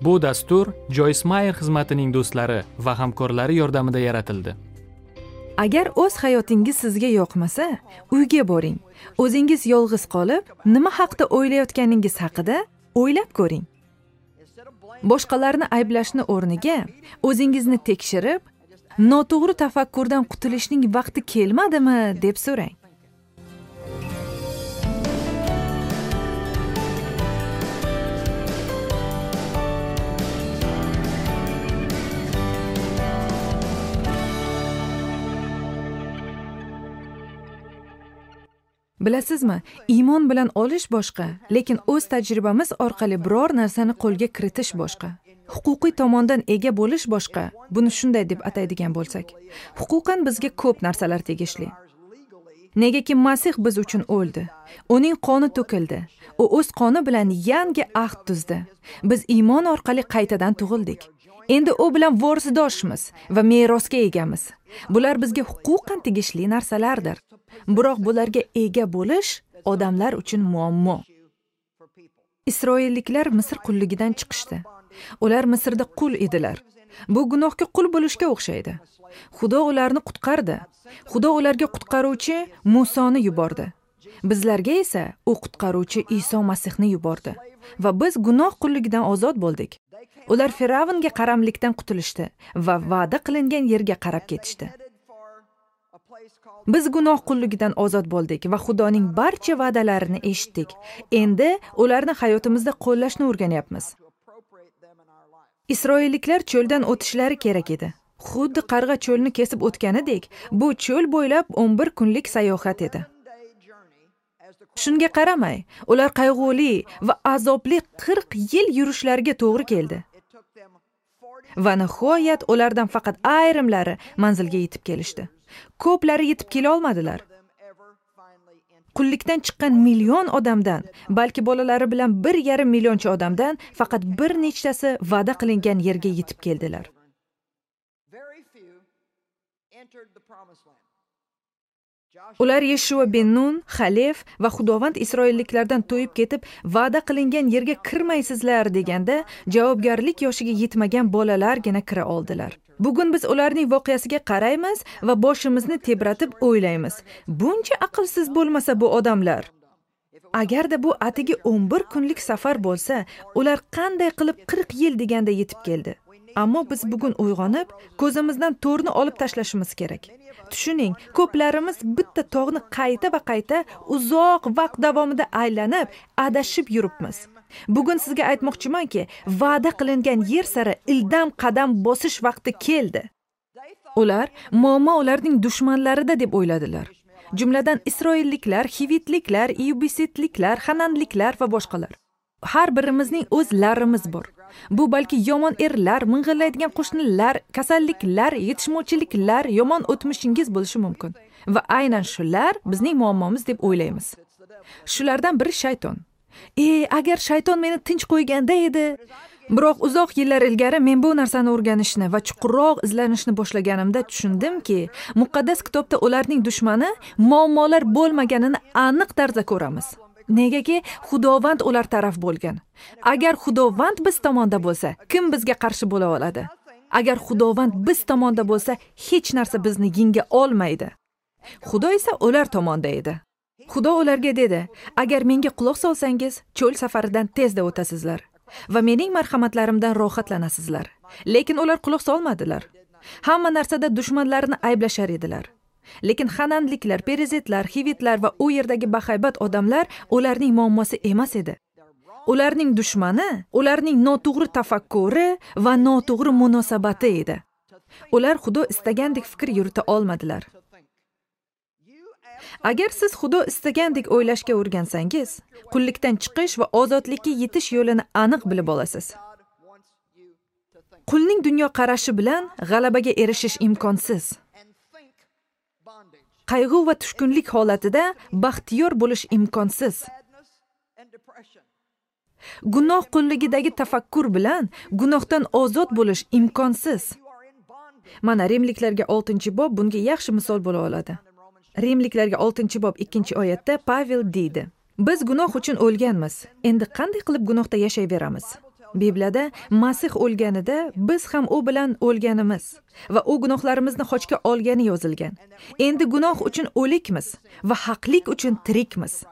Bu dastur Joyce Meyer xizmatining do'stlari va hamkorlari yordamida yaratildi. Agar o'z hayotingiz sizga yoqmasa, uyga boring. O'zingiz yolg'iz qolib, nima haqda o'ylayotganingiz haqida o'ylab ko'ring. Boshqalarni ayblashni o'rniga o'zingizni tekshirib, noto'g'ri tafakkurdan qutulishning vaqti kelmadimi deb so'rang. Bilasizmi, iymon bilan olish boshqa, lekin o'z tajribamiz orqali biror narsani qo'lga kiritish boshqa. Huquqiy tomondan ega bo'lish boshqa. Buni shunday deb ataydigan bo'lsak, huquqan bizga ko'p narsalar tegishli. Negaki Masih biz uchun o'ldi. Uning qoni to'kildi. U o'z qoni bilan yangi ahd tuzdi. Biz iymon orqali qaytadan tug'ildik. Endi u bilan vorisdoshmiz va merosga egamiz. Bular bizga huquqan tegishli narsalardir. Biroq bularga ega bo'lish odamlar uchun muammo. Isroilliklar Misr qulligidan chiqishdi. Ular Misrda qul edilar. Bu gunohga qul bo'lishga o'xshaydi. Xudo ularni qutqardi. Xudo ularga qutqaruvchi Musoni yubordi. Bizlarga esa u qutqaruvchi Iso Masihni yubordi va biz gunoh qulligidan ozod bo'ldik. Ular Firavnga qaramlikdan qutulishdi va va'da qilingan yerga qarab ketishdi. Biz gunoh qulligidan ozod bo'ldik va Xudoning barcha va'dalarini eshitdik. Endi ularni hayotimizda qo'llashni o'rganyapmiz. Isroilliklar cho'ldan o'tishlari kerak edi. Xuddi qarg'a cho'lni kesib o'tganidek, bu cho'l bo'ylab 11 kunlik sayohat edi. Shunga qaramay, ular qayg'uli va azobli 40 yil yurishlariga to'g'ri keldi. Va nihoyat ulardan faqat ayrimlari manzilga yetib kelishdi. Ko'plari yetib kela olmadilar. Qullikdan chiqqan million odamdan, balki bolalari bilan 1,5 millioncha odamdan faqat bir nechtasi va'da qilingan yerga yetib keldilar. Ular Yeshua ben Nun, Xalef va Xudovand isroilliklardan to'yib ketib, va'da qilingan yerga kirmaysizlar deganda, javobgarlik yoshiga yetmagan bolalargina kira oldilar. Bugun biz ularning voqeasiga qaraymiz va boshimizni tebratib o'ylaymiz. Buncha aqlsiz bo'lmasa bu odamlar. Agarda bu atigi 11 kunlik safar bo'lsa, ular qanday qilib 40 yil deganda yetib keldi? Ammo biz bugun uyg'onib, ko'zimizdan to'rni olib tashlashimiz kerak. Tushuning, ko'plarimiz bitta tog'ni qayta va qayta uzoq vaqt davomida aylanib, adashib yuribmiz. Bugun sizga aytmoqchimanki, va'da qilingan yer sari ildam qadam bosish vaqti keldi. Ular muammo ularning dushmanlarida deb o'yladilar. Jumladan isroilliklar, xivitliklar, iubisitliklar, xananliklar va boshqalar. Har birimizning o'z larimiz bor. Bu balki yomon erlar, ming'illaydigan qo'shnilar, kasalliklar, yetishmovchiliklar, yomon o'tmishingiz bo'lishi mumkin. Va aynan shular bizning muammomiz deb o'ylaymiz. Shulardan biri shayton. Agar shayton meni tinch qo'yganda edi. Biroq uzoq yillar ilgari men bu narsani o'rganishni va chuqurroq izlanishni boshlaganimda tushundimki, muqaddas kitobda ularning dushmani muammolar bo'lmaganini aniq tarzda ko'ramiz. Negaki Xudovand ular taraf bo'lgan. Agar Xudovand biz tomonda bo'lsa, kim bizga qarshi bo'la oladi? Agar Xudovand biz tomonda bo'lsa, hech narsa bizni yenga olmaydi. Xudo esa ular tomonda edi. Xudo ularga dedi: "Agar menga quloq solsangiz, cho'l safaridan tezda o'tasizlar va mening marhamatlarimdan rohatlanasizlar." Lekin ular quloq solmadilar. Hamma narsada dushmanlarini ayblashar edilar. Lekin xananliklar, perizitlar, xivitlar va u yerdagi bahaybat odamlar ularning muammosi emas edi. Ularning dushmani ularning noto'g'ri tafakkuri va noto'g'ri munosabati edi. Ular Xudo istagandek fikr yurita olmadilar. Agar siz Xudo istagandek o'ylashga o'rgansangiz, qullikdan chiqish va ozodlikka yetish yo'lini aniq bilib olasiz. Qulning dunyoqarashi bilan g'alabaga erishish imkonsiz. Qayg'u va tushkunlik holatida baxtiyor bo'lish imkonsiz. Gunoh qulligidagi tafakkur bilan gunohdan ozod bo'lish imkonsiz. Mana Rimliklarga 6-bob bunga yaxshi misol bo'la oladi. Rimliklarga 6-bob 2-oyatda Pavel deydi: "Biz gunoh uchun o'lganmiz. Endi qanday qilib gunohda yashayveramiz?" Bibliyada Masih o'lganida biz ham u bilan o'lganimiz va u gunohlarimizni xochga olgani yozilgan. Endi gunoh uchun o'likmiz va haqlik uchun tirikmiz.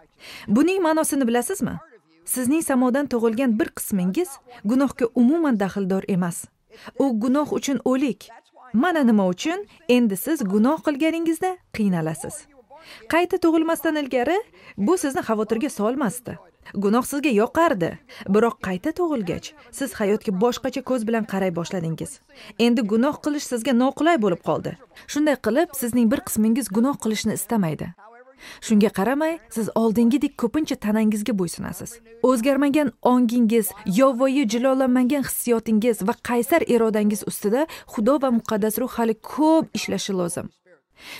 Buning ma'nosini bilasizmi? Sizning samodan tug'ilgan bir qismingiz gunohga umuman daxldor emas. U gunoh uchun o'lik. Mana nima uchun endi siz gunoh qilganingizda qiynalasiz. Qayta tug'ilmasdan ilgari bu sizni xavotirga solmasdi. Gunoh sizga yoqardi. Biroq qayta tug'ilgach, siz hayotga boshqacha ko'z bilan qaray boshladingiz. Endi gunoh qilish sizga noqulay bo'lib qoldi. Shunday qilib, sizning bir qismingiz gunoh qilishni istamaydi. Shunga qaramay, siz oldingidek ko'pincha tanangizga bo'ysunasiz. O'zgarmagan ongingiz, yovvoyi jilolanmagan hissiyotingiz va qaysar irodangiz ustida Xudo va muqaddas ruh hali ko'p ishlashi lozim.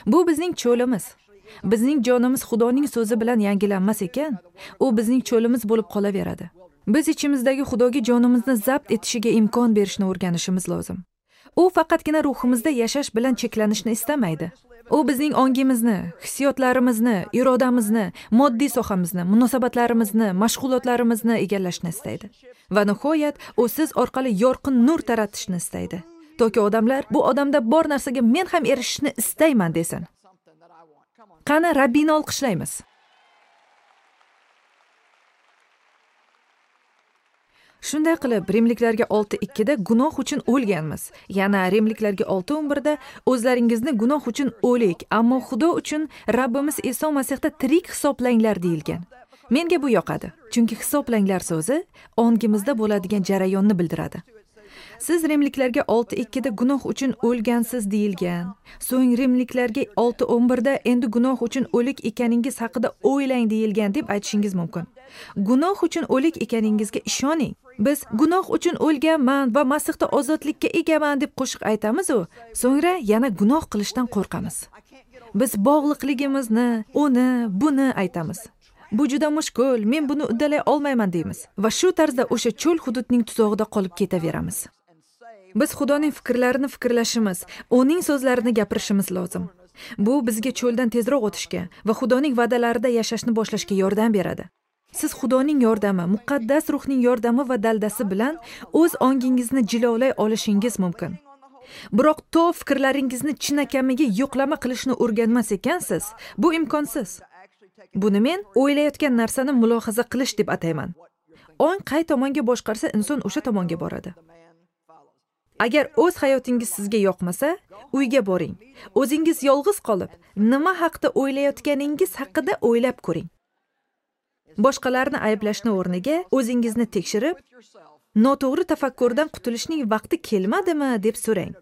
Bu bizning cho'limiz. Bizning jonimiz Xudoning so'zi bilan yangilanmas ekan, u bizning cho'limiz bo'lib qolaveradi. Biz ichimizdagi Xudoga jonimizni zabt etishiga imkon berishni o'rganishimiz lozim. U faqatgina ruhimizda yashash bilan cheklanishni istamaydi. U bizning ongimizni, hissiyotlarimizni, irodamizni, moddiy sohamizni, munosabatlarimizni, mashg'ulotlarimizni egallashni istaydi. Va nihoyat u siz orqali yorqin nur taratishni istaydi. Toki odamlar bu odamda bor narsaga men ham erishishni istayman desin. Qani Rabbini olqishlaymiz. Shunday qilib, Rimliklarga 6:2 da gunoh uchun o'lganmiz. Yana Rimliklarga 6:11 da o'zlaringizni gunoh uchun o'lik, ammo Xudo uchun Rabbimiz Iso Masihda tirik hisoblanglar deyilgan. Menga bu yoqadi, chunki hisoblanglar so'zi ongimizda bo'ladigan jarayonni bildiradi. Siz Rimliklarga 6:2 da gunoh uchun o'lgansiz deyilgan. So'ng Rimliklarga 6:11 da endi gunoh uchun o'lik ekaningiz haqida o'ylang deyilgan deb aytishingiz mumkin. Gunoh uchun o'lik ekaningizga ishoning. Biz gunoh uchun o'lganman va Masihda ozodlikka egaman deb qo'shiq aytamiz-u, so'ngra yana gunoh qilishdan qo'rqamiz. Biz bog'liqligimizni, uni, buni aytamiz. Bu juda mushkul, men buni uddalay olmayman deymiz va shu tarzda o'sha cho'l hududning tuzog'ida qolib ketaveramiz. Biz Xudoning fikrlarini fikrlashimiz, uning so'zlarini gapirishimiz lozim. Bu bizga cho'ldan tezroq o'tishga va Xudoning va'dalarida yashashni boshlashga yordam beradi. Siz Xudoning yordami, muqaddas ruhning yordami va daldasi bilan o'z ongingizni jilovlay olishingiz mumkin. Biroq to fikrlaringizni chinakamiga yo'qlama qilishni o'rganmas ekansiz, bu imkonsiz. Buni men o'ylayotgan narsani mulohaza qilish deb atayman. Ong qay tomonga boshqarsa, inson o'sha tomonga boradi. Agar o'z hayotingiz sizga yoqmasa, uyga boring. O'zingiz yolg'iz qolib, nima haqda o'ylayotganingiz haqida o'ylab ko'ring. Boshqalarni ayblashni o'rniga o'zingizni tekshirib, noto'g'ri tafakkurdan qutulishning vaqti kelmadimi deb so'rang.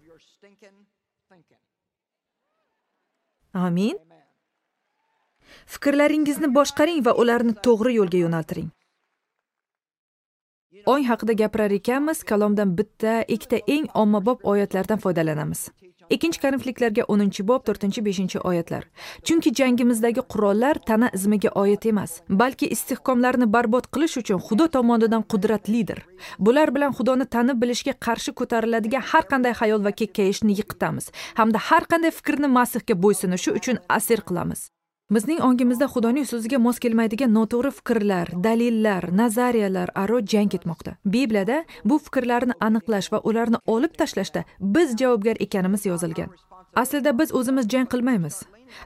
Amin. Fikrlaringizni boshqaring va ularni to'g'ri yo'lga yo'naltiring. Ong haqida gapirar ekanmiz, kalomdan bitta, ikkita eng ommabop oyatlardan foydalanamiz. 2 Korinfliklarga 10-bob 4-5 oyatlar. Chunki jangimizdagi qurollar tana izmiga oid emas, balki istehkomlarni barbod qilish uchun Xudo tomonidan qudratlidir. Bular bilan Xudoni tanib bilishga qarshi ko'tariladigan har qanday xayol va kekkayishni yiqitamiz hamda har qanday fikrni Masihga bo'ysunishi uchun asir qilamiz. Bizning ongimizda Xudoning so'ziga mos kelmaydigan noto'g'ri fikrlar, dalillar, nazariyalar aro jang ketmoqda. Bibliyada bu fikrlarni aniqlash va ularni olib tashlashda biz javobgar ekanimiz yozilgan. Aslida biz o'zimiz jang qilmaymiz.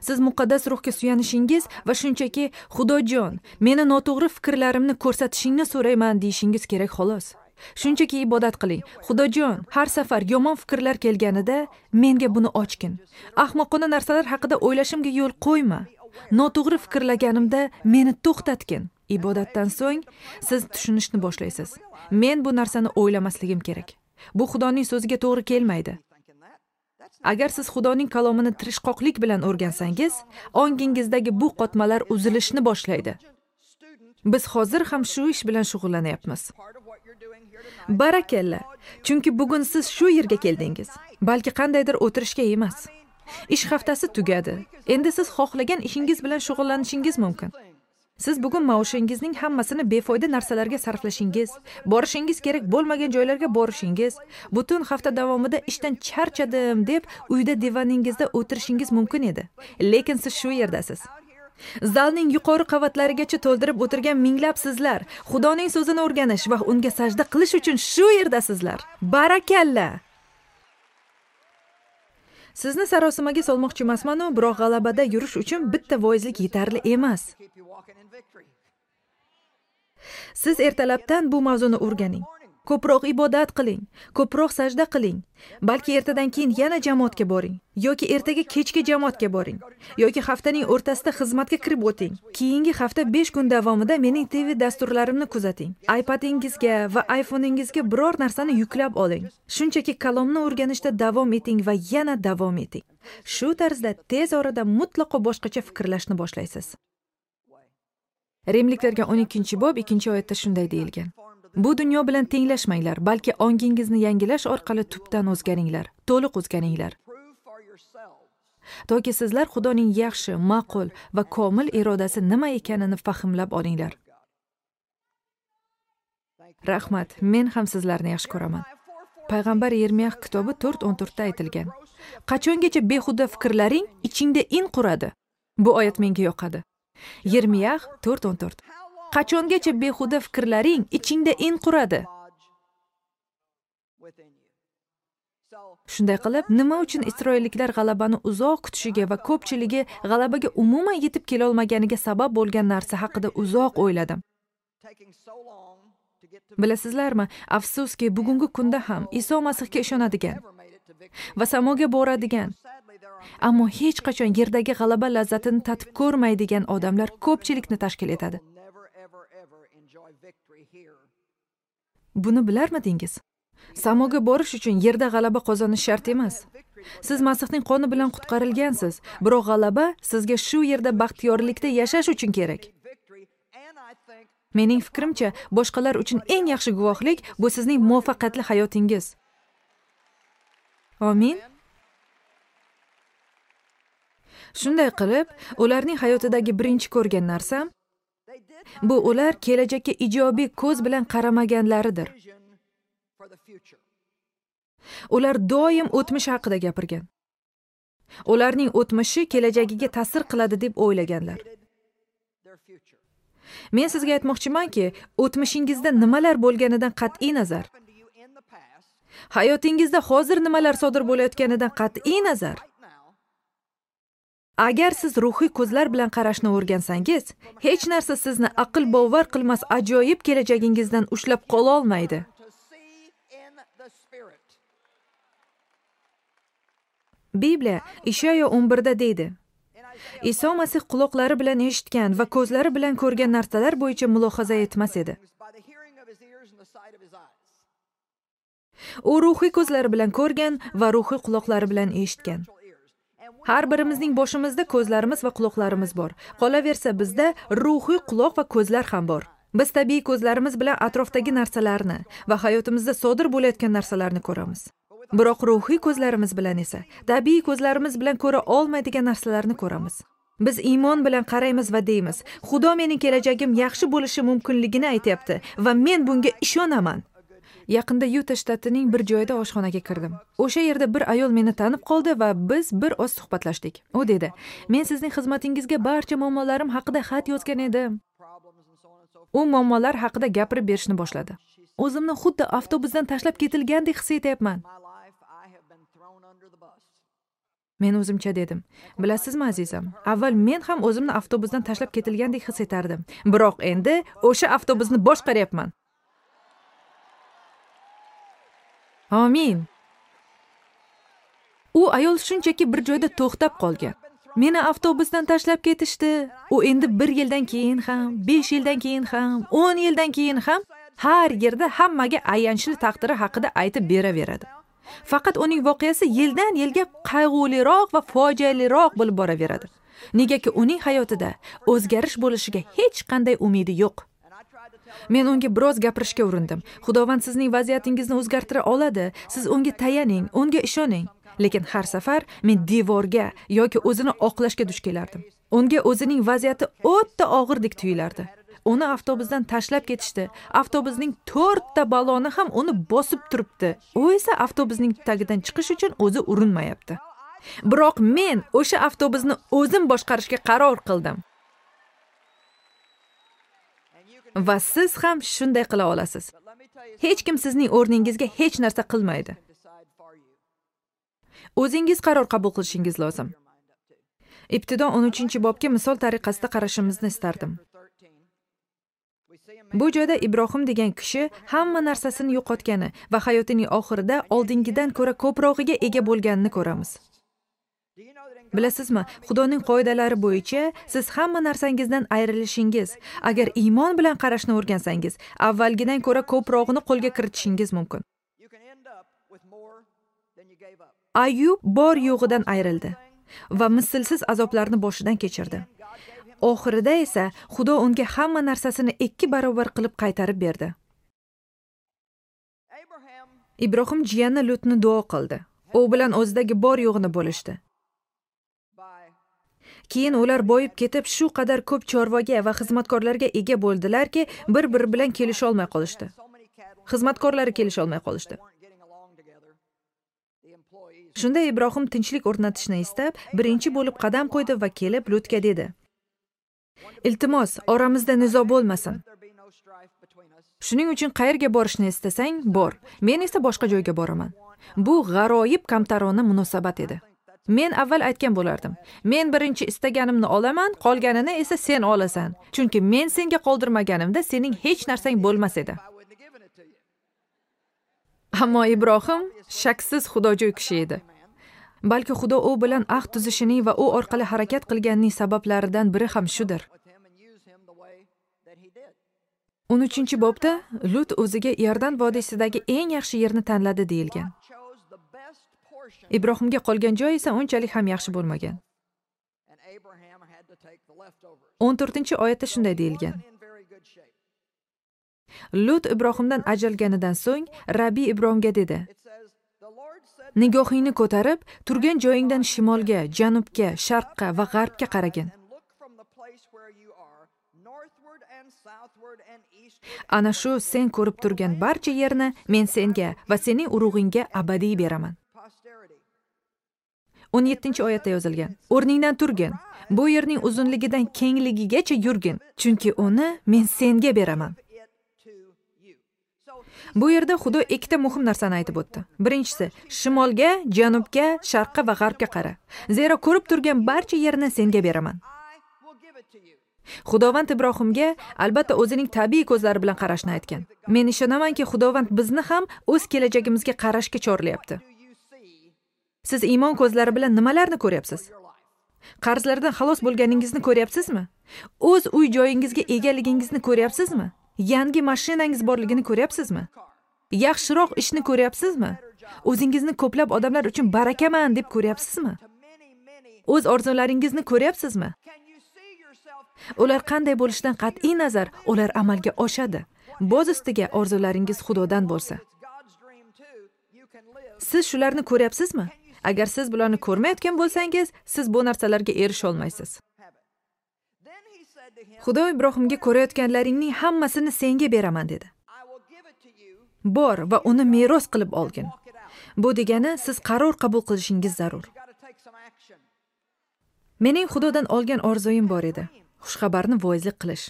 Siz muqaddas ruhga suyanishingiz va shunchaki Xudojon, meni noto'g'ri fikrlarimni ko'rsatishingni so'rayman deyishingiz kerak xolos. Shunchaki ibodat qiling. Xudojon, har safar yomon fikrlar kelganida menga buni ochgin. Ahmoqona narsalar haqida o'ylashimga yo'l qo'yma. Noto'g'ri fikrlaganimda meni to'xtatgin. Ibodatdan so'ng siz tushunishni boshlaysiz. Men bu narsani o'ylamasligim kerak. Bu Xudoning so'ziga to'g'ri kelmaydi. Agar siz Xudoning kalomini tirishqoqlik bilan o'rgansangiz, ongingizdagi bu qotmalar uzilishni boshlaydi. Biz hozir ham shu ish bilan shug'ullanyapmiz. Barakalla, chunki bugun siz shu yerga keldingiz. Balki qandaydir o'tirishga emas. Ish haftasi tugadi. Endi siz xohlagan ishingiz bilan shug'ullanishingiz mumkin. Siz bugun maoshingizning hammasini befoyda narsalarga sarflashingiz, borishingiz kerak bo'lmagan joylarga borishingiz, butun hafta davomida ishdan charchadim deb uyda divaningizda o'tirishingiz mumkin edi. Lekin siz shu yerdasiz. Zalning yuqori qavatlarigacha to'ldirib o'tirgan minglab sizlar Xudoning so'zini o'rganish va unga sajda qilish uchun shu yerdasizlar. Barakalla! Sizni sarosimaga solmoqchi emasman-u, biroq g'alabada yurish uchun bitta voizlik yetarli emas. Siz ertalabdan bu mavzuni o'rganing. Ko'proq ibodat qiling, ko'proq sajda qiling. Balki ertadan keyin yana jamoatga boring, yoki ertaga kechki jamoatga boring, yoki haftaning o'rtasida xizmatga kirib o'ting. Keyingi hafta 5 kun davomida mening TV dasturlarimni kuzating. iPadingizga va iPhone'ingizga biror narsani yuklab oling. Shunchaki kalomni o'rganishda davom eting va yana davom eting. Shu tarzda tez orada mutlaqo boshqacha fikrlashni boshlaysiz. Rimliklarga 12-bob 2-oyatda shunday deyilgan: Bu dunyo bilan tenglashmanglar, balki ongingizni yangilash orqali tubdan o'zgaringlar, to'liq o'zgaringlar. Toki sizlar Xudoning yaxshi, ma'qul va komil irodasi nima ekanini fahmlab olinglar. Rahmat, men ham sizlarni yaxshi ko'raman. Payg'ambar Yermiyah kitobi 4:14 da aytilgan: Qachongacha behuda fikrlaring ichingda in quradi? Bu oyat menga yoqadi. Yermiyah 4:14. Qachongacha behuda fikrlaring ichingda in quradi? Shunday qilib, nima uchun isroilliklar g'alabani uzoq kutishiga va ko'pchiligi g'alabaga umuman yetib kela olmaganiga sabab bo'lgan narsa haqida uzoq o'yladim. Bilasizlarmi, afsuski, bugungi kunda ham Iso Masihga ishonadigan va samoga boradigan, ammo hech qachon yerdagi g'alaba lazzatini tatib ko'rmaydigan odamlar ko'pchilikni tashkil etadi. Buni bilarmidingiz? Samoga borish uchun yerda g'alaba qozonish shart emas. Siz Masihning qoni bilan qutqarilgansiz, biroq g'alaba sizga shu yerda baxtiyorlikda yashash uchun kerak. Mening fikrimcha, boshqalar uchun eng yaxshi guvohlik bu sizning muvaffaqiyatli hayotingiz. Amin. Shunday qilib, ularning hayotidagi birinchi ko'rgan narsam bu ular kelajakka ijobiy ko'z bilan qaramaganlaridir. Ular doim o'tmish haqida gapirgan. Ularning o'tmishi kelajagiga ta'sir qiladi deb o'ylaganlar. Men sizga aytmoqchimanki, o'tmishingizda nimalar bo'lganidan qat'iy nazar, hayotingizda hozir nimalar sodir bo'layotganidan qat'iy nazar, agar siz ruhiy ko'zlar bilan qarashni o'rgansangiz, hech narsa sizni aql bovar qilmas ajoyib kelajagingizdan ushlab qola olmaydi. Bibliya Ishayo 11da deydi: Iso Masih quloqlari bilan eshitgan va ko'zlari bilan ko'rgan narsalar bo'yicha mulohaza etmas edi. U ruhiy ko'zlari bilan ko'rgan va ruhiy quloqlari bilan eshitgan. Har birimizning boshimizda ko'zlarimiz va quloqlarimiz bor. Qolaversa, bizda ruhiy quloq va ko'zlar ham bor. Biz tabiiy ko'zlarimiz bilan atrofdagi narsalarni va hayotimizda sodir bo'layotgan narsalarni ko'ramiz. Biroq ruhiy ko'zlarimiz bilan esa tabiiy ko'zlarimiz bilan ko'ra olmaydigan narsalarni ko'ramiz. Biz iymon bilan qaraymiz va deymiz: Xudo mening kelajagim yaxshi bo'lishi mumkinligini aytayapti va men bunga ishonaman. Yaqinda Yuta shtatining bir joyida oshxonaga kirdim. O'sha yerda bir ayol meni tanib qoldi va biz bir oz suhbatlashdik. U dedi: "Men sizning xizmatingizga barcha muammolarim haqida xat yozgan edim." U muammolar haqida gapirib berishni boshladi. O'zimni xuddi avtobusdan tashlab ketilgandek his etyapman. Men o'zimcha dedim: "Bilasizmi, azizam, avval men ham o'zimni avtobusdan tashlab ketilgandek his etardim. Biroq endi o'sha avtobusni boshqaryapman." Amin. U ayol shunchaki bir joyda to'xtab qolgan. Meni avtobusdan tashlab ketishdi. U endi 1 yildan keyin ham, 5 yildan keyin ham, 10 yildan keyin ham har yerda hammaga ayanchli taqdiri haqida aytib beraveradi. Faqat uning voqeasi yildan yilga qayg'uliroq va fojialiroq bo'lib boraveradi. Negaki uning hayotida o'zgarish bo'lishiga hech qanday umidi yo'q. Men unga biroz gapirishga urindim. Xudovand sizning vaziyatingizni o'zgartira oladi. Siz unga tayaning, unga ishoning. Lekin har safar men devorga yoki o'zini oqlashga duch kelardim. Unga o'zining vaziyati o'ta og'irdek tuyulardi. Uni avtobusdan tashlab ketishdi. Avtobusning 4 ta baloni ham uni bosib turibdi. U esa avtobusning tagidan chiqish uchun o'zi urinmayapti. Biroq men o'sha avtobusni o'zim boshqarishga qaror qildim. Va siz ham shunday qila olasiz. Hech kim sizning o'rningizga hech narsa qilmaydi. O'zingiz qaror qabul qilishingiz lozim. Ibtido 13-bobga misol tariqasida qarashimizni istardim. Bu joyda Ibrohim degan kishi hamma narsasini yo'qotgani va hayotining oxirida oldingidan ko'ra ko'prog'iga ega bo'lganini ko'ramiz. Bilasizmi, Xudoning qoidalari bo'yicha siz hamma narsangizdan ayrilishingiz, agar iymon bilan qarashni o'rgansangiz, avvalgidan ko'ra ko'prog'ini qo'lga kiritishingiz mumkin. Ayyub bor yo'g'idan ayrildi va mislsiz azoblarni boshidan kechirdi. Oxirida esa Xudo unga hamma narsasini 2 barobar qilib qaytarib berdi. Ibrohim jiyani Lutni duo qildi. U bilan o'zidagi bor yo'g'ini bo'lishdi. Keyin ular boyib ketib, shu qadar ko'p chorvaga va xizmatkorlarga ega bo'ldilarki, bir-biri bilan kelisha olmay qolishdi. Xizmatkorlari kelisha olmay qolishdi. Shunda Ibrohim tinchlik o'rnatishni istab, birinchi bo'lib qadam qo'ydi va kelib Lutga dedi: "Iltimos, oramizda nizo bo'lmasin. Shuning uchun qayerga borishni istasang, bor. Men esa boshqa joyga boraman." Bu g'aroyib kamtarona munosabat edi. Men avval aytgan bo'lardim: "Men birinchi istaganimni olaman, qolganini esa sen olasan. Chunki men senga qoldirmaganimda sening hech narsang bo'lmas edi." Ammo Ibrohim shaksiz xudojo'y kishi edi. Balki Xudo u bilan ahd tuzishining va u orqali harakat qilganining sabablaridan biri ham shudir. 13-bobda Lut o'ziga Iordan vodiysidagi eng yaxshi yerni tanladi deyilgan. Ibrohimga qolgan joy esa unchalik ham yaxshi bo'lmagan. 14-oyatda shunday deyilgan: Lut Ibrohimdan ajralganidan so'ng Rabbi Ibrohimga dedi: "Nigohingni ko'tarib, turgan joyingdan shimolga, janubga, sharqqa va g'arbga qaragin. Ana shu sen ko'rib turgan barcha yerni men senga va sening urug'ingga abadiy beraman." 17-oyatda yozilgan: "O'rningdan turgin, bu yerning uzunligidan kengligigacha yurgin, chunki uni men senga beraman." Bu yerda Xudo ikkita muhim narsani aytib o'tdi. Birinchisi, shimolga, janubga, sharqqa va g'arbga qara. Zero ko'rib turgan barcha yerni senga beraman. Xudovand Ibrohimga albatta o'zining tabiiy ko'zlari bilan qarashni aytgan. Men ishonamanki, Xudovand bizni ham o'z kelajagimizga qarashga chorlayapti. Siz iymon ko'zlari bilan nimalarni ko'ryapsiz? Qarzlardan xalos bo'lganingizni ko'ryapsizmi? O'z uy joyingizga egaligingizni ko'ryapsizmi? Yangi mashinangiz borligini ko'ryapsizmi? Yaxshiroq ishni ko'ryapsizmi? O'zingizni ko'plab odamlar uchun barakaman deb ko'ryapsizmi? O'z orzularingizni ko'ryapsizmi? Ular qanday bo'lishidan qat'iy nazar, ular amalga oshadi. Boz ustiga orzularingiz Xudodan bo'lsa. Siz shularni ko'ryapsizmi? Agar siz bularni ko'rmayotgan bo'lsangiz, siz bu narsalarga erisha olmaysiz. Xudo Ibrohimga ko'rayotganlaringning hammasini senga beraman dedi. Bor va uni meros qilib olgin. Bu degani siz qaror qabul qilishingiz zarur. Mening Xudodan olgan orzuyim bor edi. Xushxabarni voizlik qilish.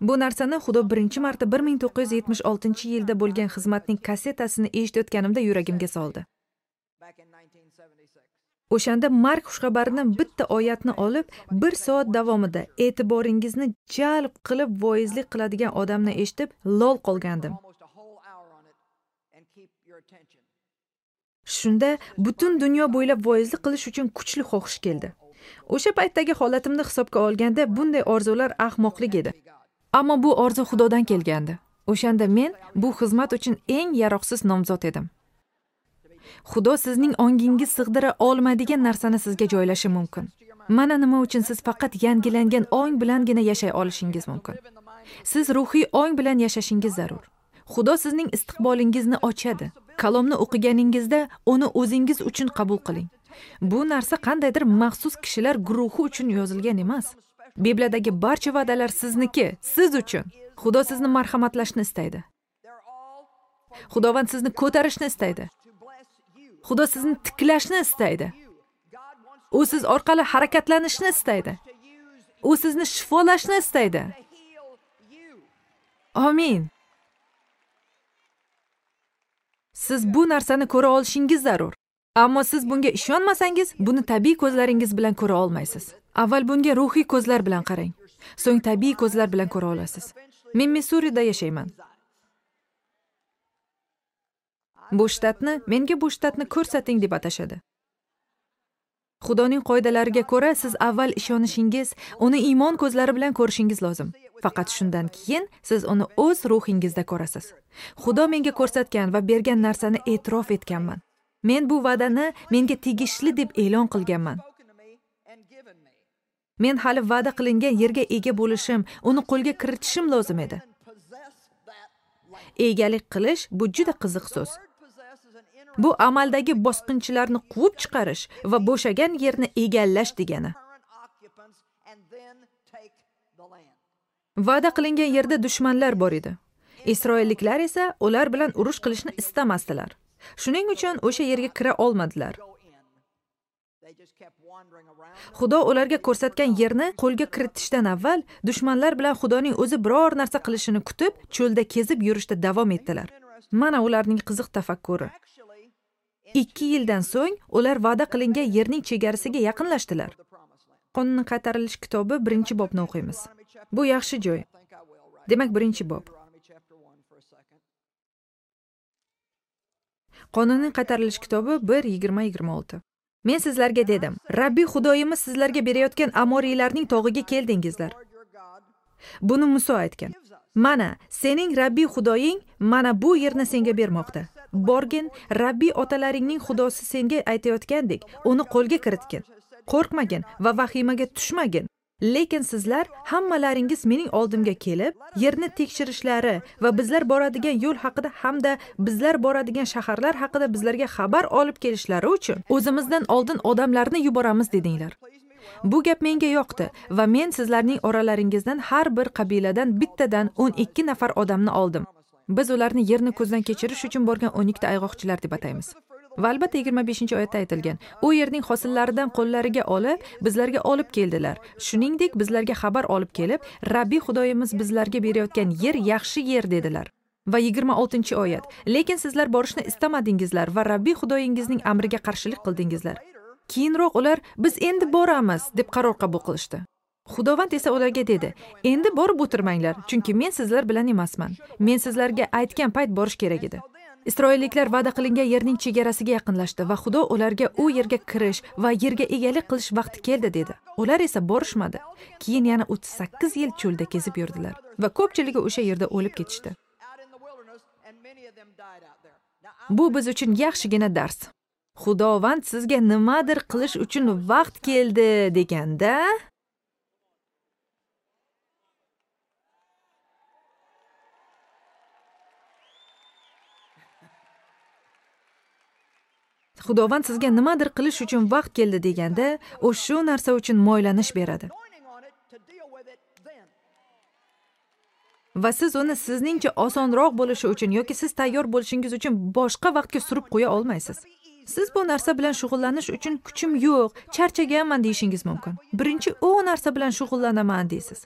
Bu narsani Xudo birinchi marta 1976-yilda bo'lgan xizmatning kassetasini eshitayotganimda yuragimga soldi. O'shanda Mark xushxabarini bitta oyatni olib, 1 soat davomida e'tiboringizni jalb qilib voizlik qiladigan odamni eshitib lol qolgandim. Shunda butun dunyo bo'ylab voizlik qilish uchun kuchli xohish keldi. O'sha paytdagi holatimni hisobga olganda bunday orzular ahmoqlik edi. Ammo bu orzu Xudodan kelgandi. O'shanda men bu xizmat uchun eng yaroqsiz nomzod edim. Xudo sizning ongingiz sig'dira olmaydigan narsani sizga joylashi mumkin. Mana nima uchun siz faqat yangilangan ong bilangina yashay olishingiz mumkin. Siz ruhiy ong bilan yashashingiz zarur. Xudo sizning istiqbolingizni ochadi. Kalomni o'qiganingizda uni o'zingiz uchun qabul qiling. Bu narsa qandaydir maxsus kishilar guruhi uchun yozilgan emas. Bibliyadagi barcha va'dalar sizniki, siz uchun. Xudo sizni marhamatlashni istaydi. Xudovand sizni ko'tarishni istaydi. Xudo sizni tiklashni istaydi. U siz orqali harakatlanishni istaydi. U sizni shifolashni istaydi. Amin. Siz bu narsani ko'ra olishingiz zarur. Ammo siz bunga ishonmasangiz, buni tabiiy ko'zlaringiz bilan ko'ra olmaysiz. Avval bunga ruhiy ko'zlar bilan qarang. So'ng tabiiy ko'zlar bilan ko'ra olasiz. Men Missurida yashayman. Bu shtatni menga bu shtatni ko'rsating deb atashadi. Xudoning qoidalariga ko'ra siz avval ishonishingiz, uni iymon ko'zlari bilan ko'rishingiz lozim. Faqat shundan keyin siz uni o'z ruhingizda ko'rasiz. Xudo menga ko'rsatgan va bergan narsani e'tirof etganman. Men bu va'dani menga tegishli deb e'lon qilganman. Men hali va'da qilingan yerga ega bo'lishim, uni qo'lga kiritishim lozim edi. Egalik qilish bu juda qiziq so'z. Bu amaldagi bosqinchilarni quvib chiqarish va bo'shagan yerni egallash degani. Va'da qilingan yerda dushmanlar bor edi. Isroilliklar esa ular bilan urush qilishni istamasdilar. Shuning uchun o'sha yerga kira olmadilar. Xudo ularga ko'rsatgan yerni qo'lga kiritishdan avval dushmanlar bilan Xudoning o'zi biror narsa qilishini kutib, cho'lda kezib yurishda davom etdilar. Mana ularning qiziq tafakkuri. 2 yildan so'ng ular va'da qilingan yerning chegarasiga yaqinlashdilar. Qonunning qaytarilish kitobi 1-bobni o'qiymiz. Bu yaxshi joy. Demak, 1-bob. Qonunning qaytarilish kitobi 1:20-26. Men sizlarga dedim, Rabbiy Xudoyimiz sizlarga berayotgan Amoriylarning tog'iga keldingizlar. Buni Muso aytgan. Mana, sening Rabbiy Xudoying mana bu yerni senga bermoqda. Borgin, Rabbiy otalaringning Xudosi senga aytayotgandek, uni qo'lga kiritgin. Qo'rqmagin va vahimaga tushmagin. Lekin sizlar hammalaringiz mening oldimga kelib, yerni tekshirishlari va bizlar boradigan yo'l haqida hamda bizlar boradigan shaharlar haqida bizlarga xabar olib kelishlari uchun o'zimizdan oldin odamlarni yuboramiz dedinglar. Bu gap menga yoqdi va men sizlarning oralaringizdan har bir qabiladan bittadan 12 nafar odamni oldim. Biz ularni yerni ko'zdan kechirish uchun borgan 12 ta ayg'oqchilar deb ataymiz. Va albatta 25-oyatda aytilgan, u yerning hosillaridan qo'llariga olib, bizlarga olib keldilar. Shuningdek, bizlarga xabar olib kelib, Rabbiy Xudoyimiz bizlarga berayotgan yer yaxshi yer dedilar. Va 26-oyat, lekin sizlar borishni istamadingizlar va Rabbiy Xudoyingizning amriga qarshilik qildingizlar. Keyinroq ular biz endi boramiz deb qaror qabul qilishdi. Xudovand esa ularga dedi, endi borib o'tirmanglar, chunki men sizlar bilan emasman. Men sizlarga aytgan payt borish kerak edi. Isroilliklar va'da qilingan yerning chegarasiga yaqinlashdi va Xudo ularga u yerga kirish va yerga egalik qilish vaqti keldi dedi. Ular esa borishmadi. Keyin yana 38 yil cho'lda kezib yurdilar va ko'pchiligi o'sha yerda o'lib ketishdi. Bu biz uchun yaxshigina dars. Xudovand sizga nimadir qilish uchun vaqt keldi deganda Xudovand sizga nimadir qilish uchun vaqt keldi deganda, u shu narsa uchun moylanish beradi. Va siz uni sizningcha osonroq bo'lishi uchun yoki siz tayyor bo'lishingiz uchun boshqa vaqtga surib qo'ya olmaysiz. Siz bu narsa bilan shug'ullanish uchun kuchim yo'q, charchaganman deyishingiz mumkin. Birinchi u narsa bilan shug'ullanaman deysiz.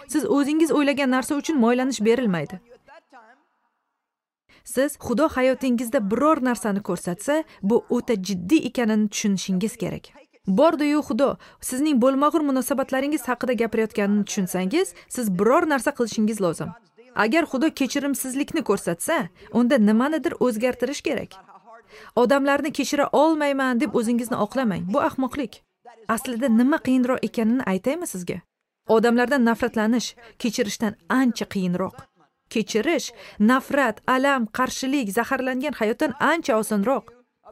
Siz o'zingiz o'ylagan narsa uchun moylanish berilmaydi. Siz Xudo hayotingizda biror narsani ko'rsatsa, bu o'ta jiddiy ekanini tushunishingiz kerak. Bordi-yu Xudo sizning bo'lmag'ur munosabatlaringiz haqida gapirayotganini tushunsangiz, siz biror narsa qilishingiz lozim. Agar Xudo kechirimsizlikni ko'rsatsa, unda nimanidir o'zgartirish kerak. Odamlarni kechira olmayman deb o'zingizni oqlamang. Bu ahmoqlik. Aslida nima qiyinroq ekanini aytaymi sizga? Odamlardan nafratlanish kechirishdan ancha qiyinroq. Kechirish, nafrat, alam, qarshilik, zaharlangan hayotdan ancha osonroq.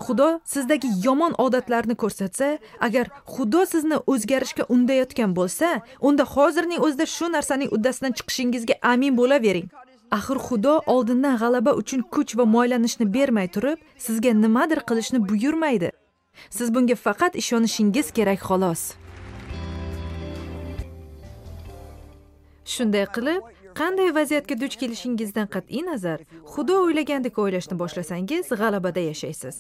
Xudo sizdagi yomon odatlarni ko'rsatsa, agar Xudo sizni o'zgarishga undayotgan bo'lsa, unda hozirning o'zida shu narsaning uddasidan chiqishingizga amin bo'lavering. Axir Xudo oldindan g'alaba uchun kuch va moylanishni bermay turib, sizga nimadir qilishni buyurmaydi. Siz bunga faqat ishonishingiz kerak xolos. Shunday qilib, qanday vaziyatga duch kelishingizdan qat'iy nazar, Xudo o'ylagandek o'ylashni boshlasangiz, g'alabada yashaysiz.